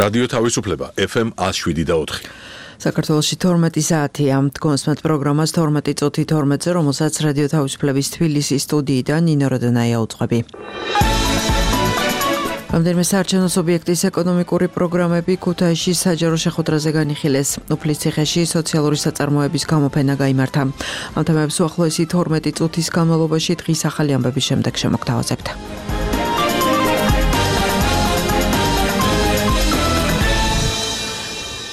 რადიო თავისუფლება FM 107.4. საქართველოში 12 საათია. კონსმეთ პროგრამას 12 წუთი 12-ზე, რომელსაც რადიო თავისუფლების თბილისის სტუდიიდან ნინო როდონაია უძღვები. რამდენიმე საარჩევნო სუბიექტის ეკონომიკური პროგრამები ქუთაისში საჯარო შეხვედრაზე განიხილეს. უფლისციხეში სოციალური საწარმოების გამოფენა გაიმართა. ამ თემებს უახლოესი 12 წუთის განმავლობაში დღის ახალი ამბების შემდეგ შემოგთავაზებთ.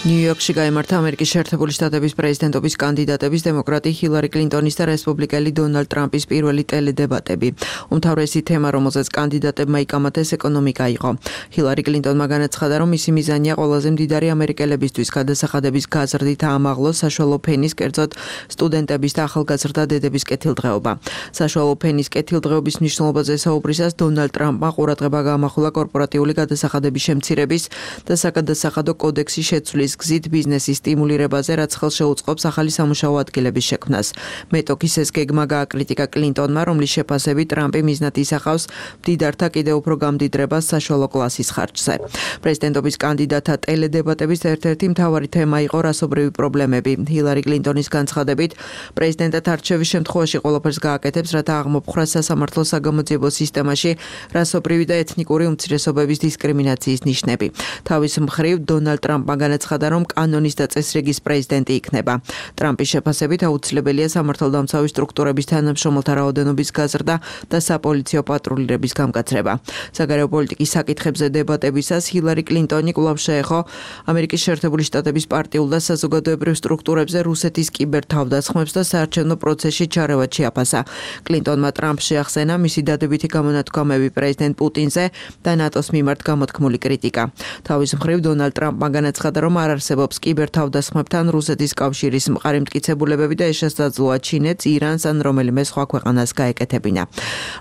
ნიუ-იორკში გაიმართა ამერიკის შეერთებული შტატების პრეზიდენტობის კანდიდატების დემოკრატი ჰილარი კლინტონის და რესპუბლიკელი დონალდ ტრამპის პირველი ტელედებატები. უმთავრესი თემა, რომელზეც კანდიდატებმა იკამათეს, ეკონომიკა იყო. ჰილარი კლინტონმა განაცხადა, რომ მისი მიზანია ყველაზე მდიდარი ამერიკელებისთვის გადასახადების გაზრდით აამაღლოს საშუალო ფენის, კერძოდ სტუდენტების და ახალგაზრდა დედების კეთილდღეობა. საშუალო ფენის კეთილდღეობის მნიშვნელობაზე საუბრისას დონალდ ტრამპმა ყურადღება გაამახვილა კორპორატიული გადასახადების შემცირების და საკადასახადო კოდექსის შეცვლის გზით ბიზნესის სტიმულირებაზე, რაც ხელს შეუწყობს ახალი სამუშაო ადგილების შექმნას. მეტოქის ეს გეგმა გააკრიტიკა კლინტონმა, რომლის შეფასებით ტრამპი მიზნად ისახავს მდიდართა კიდევ უფრო გამდიდრებას საშუალო კლასის ხარჯზე. პრეზიდენტობის კანდიდატთა ტელედებატების ერთ-ერთი მთავარი თემა იყო რასობრივი პრობლემები. ჰილარი კლინტონის განცხადებით, პრეზიდენტად არჩევის შემთხვევაში ყველაფერს გააკეთებს, რათა აღმოფხვრას სასამართლო საგამოძიებო სისტემაში რასობრივი და ეთნიკური უმცირესობების დისკრიმინაციის ნიშნები. თავის მხრივ დონალდ ტრამპმა განაცხადა, რომ კანონის და წესრიგის პრეზიდენტი იქნება. ტრამპის შეფასებით აუცილებელია სამართალდამცავი სტრუქტურების თანამშრომელთა რაოდენობის გაზრდა და საპოლიციო პატრულირების გამკაცრება. საგარეო პოლიტიკის საკითხებზე დებატებისას ჰილარი კლინტონი კვლავ შეეხო ამერიკის შეერთებული შტატების პარტიულ და საზოგადოებრივ სტრუქტურებზე რუსეთის კიბერთავდასხმებს და საარჩევნო პროცესში ჩარევად შეაფასა. კლინტონმა ტრამპს შეახსენა მისი დადებითი გამონათქვამები პრეზიდენტ პუტინზე და ნატოს მიმართ გამოთქმული კრიტიკა. თავის მხრივ დონალდ ტრამპმა განაცხადა, რომ არ არსებობს კიბერთავდასხმებთან რუსეთის კავშირის მყარი მტკიცებულებები და ეს შესაძლოა ჩინეთს, ირანს ან რომელიმე სხვა ქვეყანას გაეკეთებინა.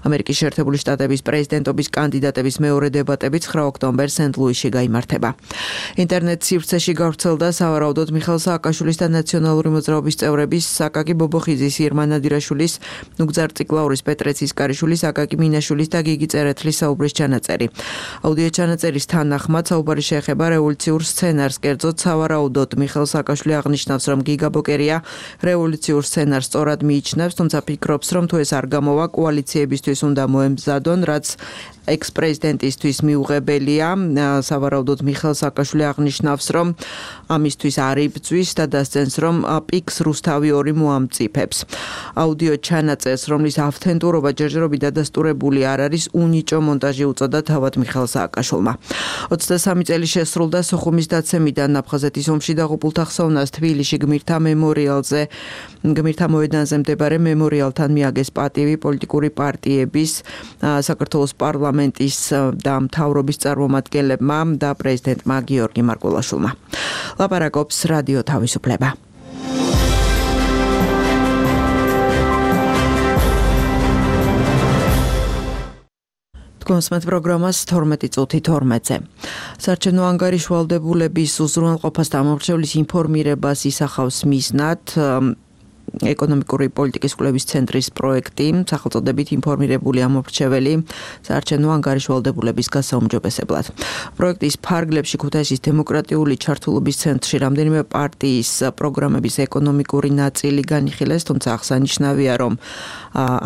ამერიკის შეერთებული შტატების პრეზიდენტობის კანდიდატების მეორე დებატები 9 ოქტომბერს სენტ-ლუისში გაიმართება. ინტერნეტ სივრცეში გავრცელდა სავარაუდოდ მიხეილ სააკაშვილის და ნაციონალური მოძრაობის წევრების აკაკი ბობოხიძის, ირმა ნადირაშვილის, ნუგზარ ციკლაურის, პეტრე ცისკარიშვილის, აკაკი მინაშვილის და გიგი წერეთლის საუბრის ჩანაწერი. აუდიო ჩანაწერის თანახმად საუბარი შეეხება რევოლუციურ სცენარს, კერძოდ სავარაუდოდ მიხეილ სააკაშვილი აღნიშნავს, რომ გიგა ბოკერია რევოლუციურ სცენარს სწორად მიიჩნევს, თუმცა ფიქრობს, რომ თუ ეს არ გამოვა, კოალიციებისთვის უნდა მოემზადონ, რაც ექს-პრეზიდენტისთვის მიუღებელია. სავარაუდოდ მიხეილ სააკაშვილი აღნიშნავს, რომ ამისთვის არ იბრძვის და დასცენს, რომ პიქს რუსთავი 2 მოამწიფებს. აუდიო ჩანაწერს, რომლის ავთენტურობა ჯერჯერობით დადასტურებული არ არის, უნიჭო მონტაჟი უწოდა თავად მიხეილ სააკაშვილმა. 23 წელი შესრულდა სოხუმის დაცემიდან აფხაზეთის ომში დაღუპულთა ხსოვნას თბილისში გმირთა მოედანზე მდებარე მემორიალთან მიაგეს პატივი პოლიტიკური პარტიების, საქართველოს პარლამენტის და მთავრობის წარმომადგენლებმა და პრეზიდენტმა გიორგი მარკულაშვილმა. ლაპარაკობს რადიო თავისუფლება. კონსმეთ პროგრამას 12 წუთი 12-ზე. საარჩევნო ანგარიშ ვალდებულების უზრუნველყოფას და ამორჩევლის ინფორმირებას ისახავს მიზნად ეკონომიკური პოლიტიკის კვლევის ცენტრის პროექტი, სახელწოდებით ინფორმირებული ამორჩეველი საარჩევნო ანგარიშ ვალდებულების გასაუმჯობესებლად. პროექტის ფარგლებში ქუთაისის დემოკრატიული ჩართულობის ცენტრში რამდენიმე პარტიის პროგრამების ეკონომიკური ნაწილი განიხილეს, თუმცა აღსანიშნავია, რომ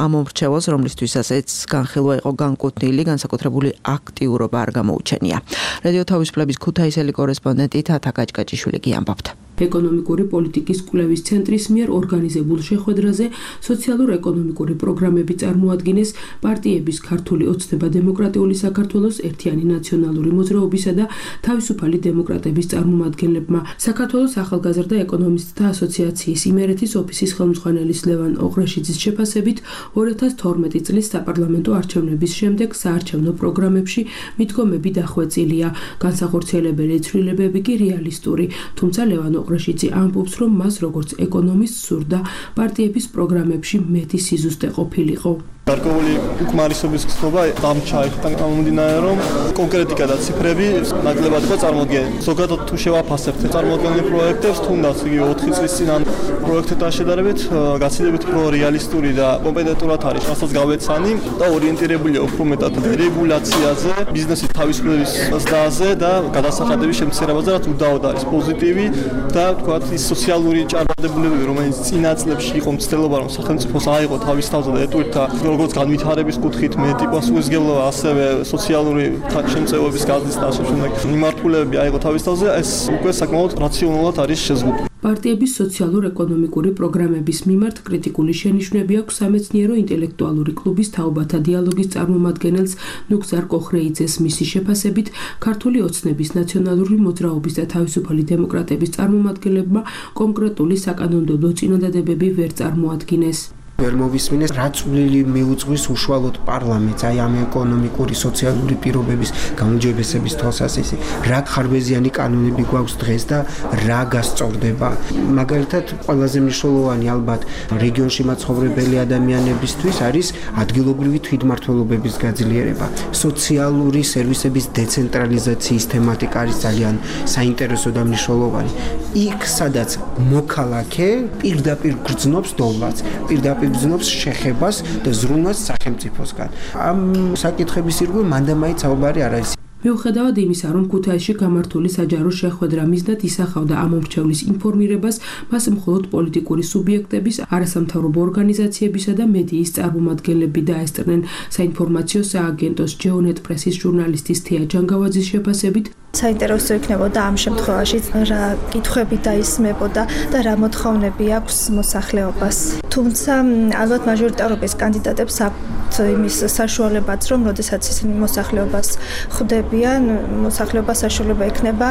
ამორჩეველს, რომლისთვისაც ეს განხილვა იყო განკუთვნილი, განსაკუთრებული აქტიურობა არ გამოუჩენია. რადიო თავისუფლების ქუთაისელი კორესპონდენტი თათა გაჭკაჭიშვილი გიამბობთ. ეკონომიკური პოლიტიკის კვლევის ცენტრის მიერ ორგანიზებულ შეხვედრაზე სოციალურ-ეკონომიკური პროგრამები წარმოადგინეს პარტიების ქართული ოცნება დემოკრატიული საქართველოს, ერთიანი ნაციონალური მოძრაობისა და თავისუფალი დემოკრატების წარმომადგენლებმა. საქართველოს ახალგაზრდა ეკონომისტთა ასოციაციის იმერეთის ოფისის ხელმძღვანელის ლევან ოღრეშიძის შეფასებით 2012 წლის საპარლამენტო არჩევნების შემდეგ საარჩევნო პროგრამებში მიდგომები დახვეწილია, განსახორციელებელი ცვლილებები კი რეალისტური, თუმცა ლევან ოღრეშიძე ამბობს, რომ მას როგორც ეკონომისტს სურდა პარტიების პროგრამებში მეტი სიზუსტე ყოფილიყო. გარკვეული უკმარისობის გზნობა დამჩა გამომდინარე რომ კონკრეტიკა და ციფრები ნაკლებად იყო წარმოდგენილი. ზოგადად თუ შევაფასებთ წარმოდგენილ პროექტებს, თუნდაც იგი 4 წლის წინ პროექტებთან შედარებით გაცილებით უფრო რეალისტური და კომპეტენტურად არის, რასაც გავეცანი და ორიენტირებულია უფრო მეტად რეგულაციაზე, ბიზნესის თავისუფლების ზრდაზე და გადასახადების შემცირებაზე, რაც უდაოდ არის პოზიტივი და თქვათ ის სოციალური ჭარბდებულებები, რომელიც წინა წლებში იყო მცდელობა, რომ სახელმწიფოს აიღო თავის თავზე და ეტყვირთა როგორც განვითარების კუთხით მეტი პასუხისმგებლობა, ასევე სოციალური შემწეობების გაზრდის და შემდეგ მიმართულებები აიღო თავის თავზე, ეს უკვე საკმაოდ რაციონალურად არის შეზღუდული. პარტიების სოციალურ-ეკონომიკური პროგრამების მიმართ კრიტიკული შენიშვნები აქვს სამეცნიერო-ინტელექტუალური კლუბის თაობათა დიალოგის წარმომადგენელს ნუგზარ კოხრეიძეს. მისი შეფასებით, ქართული ოცნების ნაციონალური მოძრაობის და თავისუფალი დემოკრატების წარმომადგენლებმა კონკრეტული საკანონმდებლო წინადადებები ვერ წარმოადგინეს. ვერ მოვისმინეს, რა წვლილი მიუძღვის უშუალოდ პარლამენტს აი ამ ეკონომიკური, სოციალური პირობების გაუმჯობესების თვალსაზრისით, რა ხარბეზიანი კანონები გვაქვს დღეს და რა გასწორდება. მაგალითად, ყველაზე მნიშვნელოვანი ალბათ რეგიონში მაცხოვრებელი ადამიანებისთვის არის ადგილობრივი თვითმმართველობების გაძლიერება. სოციალური სერვისების დეცენტრალიზაციის თემატიკა არის ძალიან საინტერესო და მნიშვნელოვანი. იქ, სადაც მოქალაქე პირდაპირ გრძნობს დოლარს, პირდაპირ გრძნობს შეხებას და ზრუნვას სახელმწიფოსგან. ამ საკითხების ირგვლივ მანდამაიც საუბარი არ არის. მიუხედავად იმისა, რომ ქუთაისში გამართული საჯარო შეხვედრა მიზნად ისახავდა ამ მომრჩევლის ინფორმირებას, მას მხოლოდ პოლიტიკური სუბიექტების, არასამთავრობო ორგანიზაციებისა და მედიის წარმომადგენლები დაესწრნენ. საინფორმაციო სააგენტოს ჯეონეტ პრესის ჟურნალისტის თეა ჯანგავაძის შეფასებით, საინტერესო იქნებოდა ამ შემთხვევაში რა კითხვები დაისმებოდა და რა მოთხოვნები აქვს მოსახლეობას. თუმცა ალბათ მაჟორიტარობის კანდიდატებს აქვთ იმის საშუალებაც, რომ როდესაც ისინი მოსახლეობას ხვდებიან, მოსახლეობა საშუალება ექნება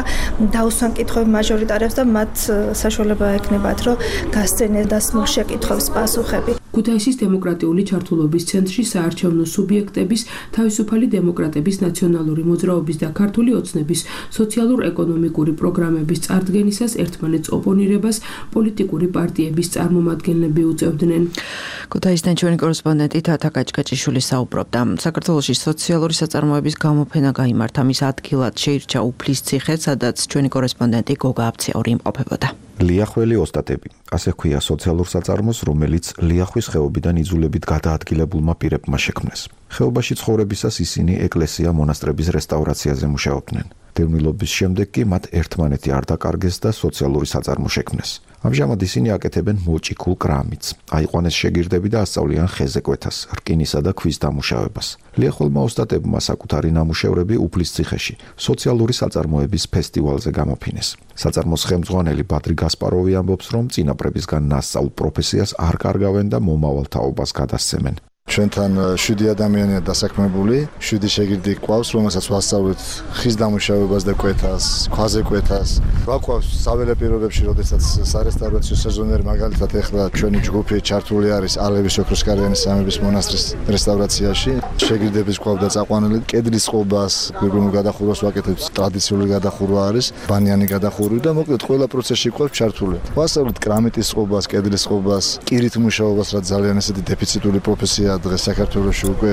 დაუსვან კითხვები მაჟორიტარებს და მათ საშუალება ექნებათ, რომ გასცენ დასმულ შეკითხვებს პასუხები. ქუთაისის დემოკრატიული ჩართულობის ცენტრში საარჩევნო სუბიექტების, თავისუფალი დემოკრატების ნაციონალური მოძრაობის და ქართული ოცნების სოციალურ-ეკონომიკური პროგრამების წარდგენისას ერთმანეთს ოპონირებას პოლიტიკური პარტიების წარმომადგენლები უწევდნენ. ქუთაისიდან ჩვენი კორესპონდენტი თათა კაჭკაჭიშვილი საუბრობდა. საქართველოში სოციალური საწარმოების გამოფენა გაიმართა. მის ადგილად შეირჩა უფლისციხე, სადაც ჩვენი კორესპონდენტი გოგა აბციური იმყოფებოდა. ლიახველი ოსტატები, ასე ჰქვია სოციალურ საწარმოს, რომელიც ლიახვის ხეობიდან იძულებით გადაადგილებულმა პირებმა შექმნეს. ხეობაში ცხოვრებისას ისინი ეკლესია მონასტრების რესტავრაციაზე მუშაობდნენ. დევნილობის შემდეგ კი მათ ერთმანეთი არ დაკარგეს და სოციალური საწარმო შექმნეს. ამჟამად ისინი აკეთებენ მოჭიქულ კრამიტს, აიყვანეს შეგირდები და ასწავლიან ხეზე კვეთას, რკინისა და ქვის დამუშავებას. ლიახველმა ოსტატებმა საკუთარი ნამუშევრები უფლისციხეში, სოციალური საწარმოების ფესტივალზე გამოფინეს. საწარმოს ხელმძღვანელი ბადრი გასპაროვი ამბობს, რომ წინაპრებისგან ნასწავლ პროფესიას არ კარგავენ და მომავალ თაობას გადასცემენ. ჩვენთან 7 ადამიანია დასაქმებული, 7 შეგირდი გვყავს, რომელსაც ვასწავლეთ ხის დამუშავებას და კვეთას, ქვაზე კვეთას. გვაქვს საველე პირობებში, როდესაც სარესტავრაციო სეზონერი მაგალითად ეხლა ჩვენი ჯგუფი ჩართული არის ალევის ოქროსკარიანი სამების მონასტრის რესტავრაციაში. შეგირდების გვყავდა წაყვანილი, კედლის წყობას, გვირგვინულ გადახურვას ვაკეთებთ, ტრადიციული გადახურვა არის, ბანიანი გადახურვა და მოკლედ ყველა პროცესში გვყავს ჩართული. ვასწავლეთ კრამიტის წყობას, კედლის წყობას, კირით მუშაობას, რაც ძალიან ესეთი დეფიციტური პროფესია დღეს საქართველოში უკვე.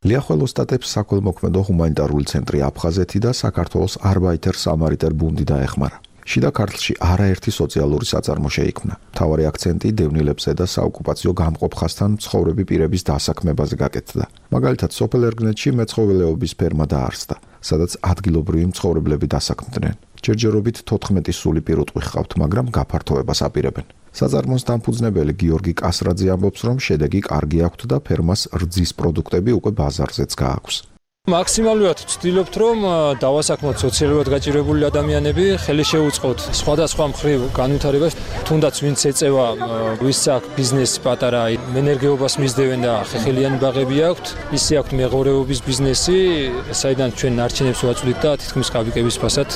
ლიახვალ ოსტატებს საქველმოქმედო ჰუმანიტარული ცენტრი აფხაზეთი და საქართველოს არბაიტერ სამარიტერ ბუნდი დაეხმარა. შიდა ქართლში არაერთი სოციალური საწარმო შეიქმნა. მთავარი აქცენტი დევნილებზე და საოკუპაციო გამყოფ ხაზთან მცხოვრები პირების დასაქმებაზე გაკეთდა. მაგალითად, სოფელ ერგნეთში მეცხოველეობის ფერმა დაარსდა, სადაც ადგილობრივი მცხოვრებლები დასაქმდნენ. ჯერჯერობით 14 სული პირუტყვი ჰყავთ, მაგრამ გაფართოებას აპირებენ. საწარმოს დამფუძნებელი გიორგი კასრაძე ამბობს, რომ შედეგი კარგი აქვთ და ფერმას რძის პროდუქტები უკვე ბაზარზეც გააქვს. მაქსიმალურად ვცდილობთ, რომ დავასაქმოთ სოციალურად გაჭირებული ადამიანები, ხელი შეუწყოთ სხვადასხვა მხრივ განვითარებას, თუნდაც ვინც ეწევა, ვის აქვს ბიზნესი პატარა, ენერგიობას მისდევენ და ხეხილიანი ბაღები აქვთ, ისე აქვთ მეღორეობის ბიზნესი, საიდან ჩვენ არჩენებს ვაწვდით და თითქმის კაბიკების ფასად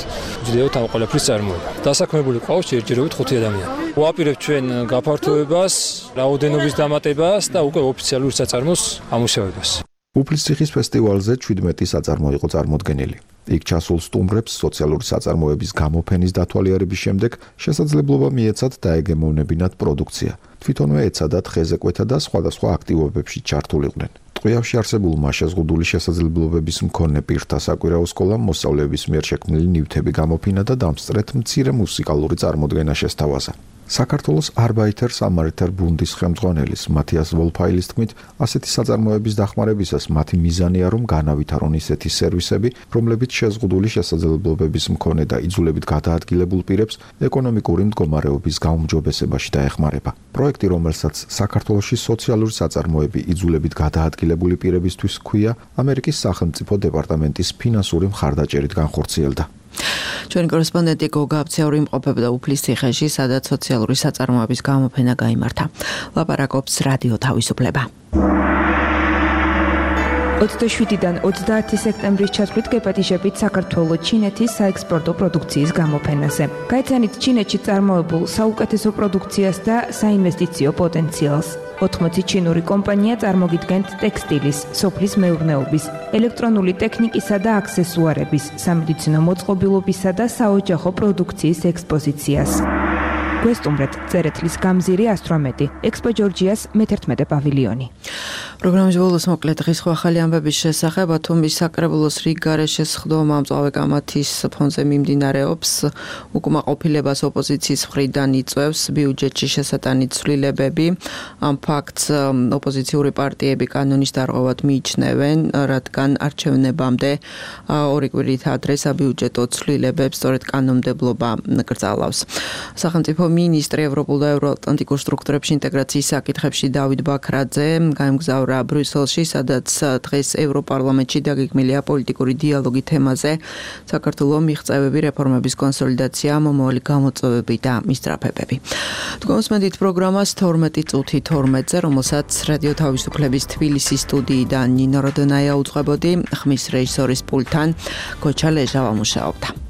ვჯდევთ ამ ყველაფრის წარმოება. დასაქმებული ყავს ჯერჯერობით 5 ადამიანი. ვაპირებთ ჩვენ გაფართოებას, რაოდენობის დამატებას და უკვე ოფიციალურ საწარმოს ამუშავებას. უფლისციხის ფესტივალზე 17 საწარმო იყო წარმოდგენილი. იქ ჩასულ სტუმრებს სოციალური საწარმოების გამოფენის დათვალიერების შემდეგ შესაძლებლობა მიეცათ დაეგემოვნებინათ პროდუქცია. თვითონვე ეცადათ ხეზე კვეთა და სხვადასხვა აქტივობებში ჩართულიყვნენ. ტყვიავში არსებულმა შეზღუდული შესაძლებლობების მქონე პირთა საკვირაო სკოლამ მოსწავლეების მიერ შექმნილი ნივთები გამოფინა და დამსწრეთ მცირე მუსიკალური წარმოდგენა შესთავაზა. საქართველოს Arbeiter Samariter Bundes ხელმძღვანელის მათიას ვოლფაილის თქმით, ასეთი საწარმოების დახმარებისას მათი მიზანია, რომ განავითარონ ისეთი სერვისები, რომლებიც შეზღუდული შესაძლებლობების მქონე და იძულებით გადაადგილებულ პირებს ეკონომიკური მდგომარეობის გაუმჯობესებაში დაეხმარება. პროექტი, რომელსაც საქართველოში სოციალური საწარმოები იძულებით გადაადგილებული პირებისთვის ჰქვია, ამერიკის სახელმწიფო დეპარტამენტის ფინანსური მხარდაჭერით განხორციელდა. ჩვენი კორესპონდენტი გოგა აბციური იმყოფებოდა უფლისციხეში, სადაც სოციალური საწარმოების გამოფენა გაიმართა. ლაპარაკობს რადიო თავისუფლება. 27-დან 30 სექტემბრის ჩათვლით გეპატიჟებით საქართველოს ჩინეთის საექსპორტო პროდუქციის გამოფენაზე. გაიცანით ჩინეთში წარმოებულ საუკეთესო პროდუქციას და საინვესტიციო პოტენციალს. 80 ჩინური კომპანია წარმოგიდგენთ ტექსტილის, სოფლის მეურნეობის, ელექტრონული ტექნიკისა და აქსესუარების, სამედიცინო მოწყობილობისა და საოჯახო პროდუქციის ექსპოზიციას. გვესტუმრეთ წერეთლის გამზირი 118, ექსპო ჯორჯიას მე-11 პავილიონი. პროგრამის ბოლოს მოკლედ დღის ახალი ამბების შესახებ ათომის საკრებულოს რიგგარეშე სხდომა მწვავე გამათის ფონზე მიმდინარეობს. უკმაყოფილებას ოპოზიციის მხრიდან იწვევს ბიუჯეტში შესატანი ცვლილებები. ამ ფაქტს ოპოზიციური პარტიები კანონის დარღვევად მიიჩნევენ, რადგან არჩევნებამდე ორი კვირით ადრე საბიუჯეტო ცვლილებებს სწორედ კანონმდებლობა კრძალავს. სახელმწიფო მინისტრი ევროპულ და ევროატლანტიკურ სტრუქტურებში ინტეგრაციის საკითხებში დავით ბაქრაძე გაემგზავრა ბრიუსელში, სადაც დღეს ევროპარლამენტში დაგეგმილია პოლიტიკური დიალოგი თემაზე, საქართველოს მიღწევები, რეფორმების კონსოლიდაცია, მომავალი გამოწვევები და მისწრაფებები. თქვენსმენდით პროგრამას 12:12-ზე, რომელსაც რადიო თავისუფლების თბილისის სტუდიიდან ნინო როდონაია უძღვებოდი, ხმის რეჟისორის პულტთან გოჩა ლეჟავა მუშაობდა.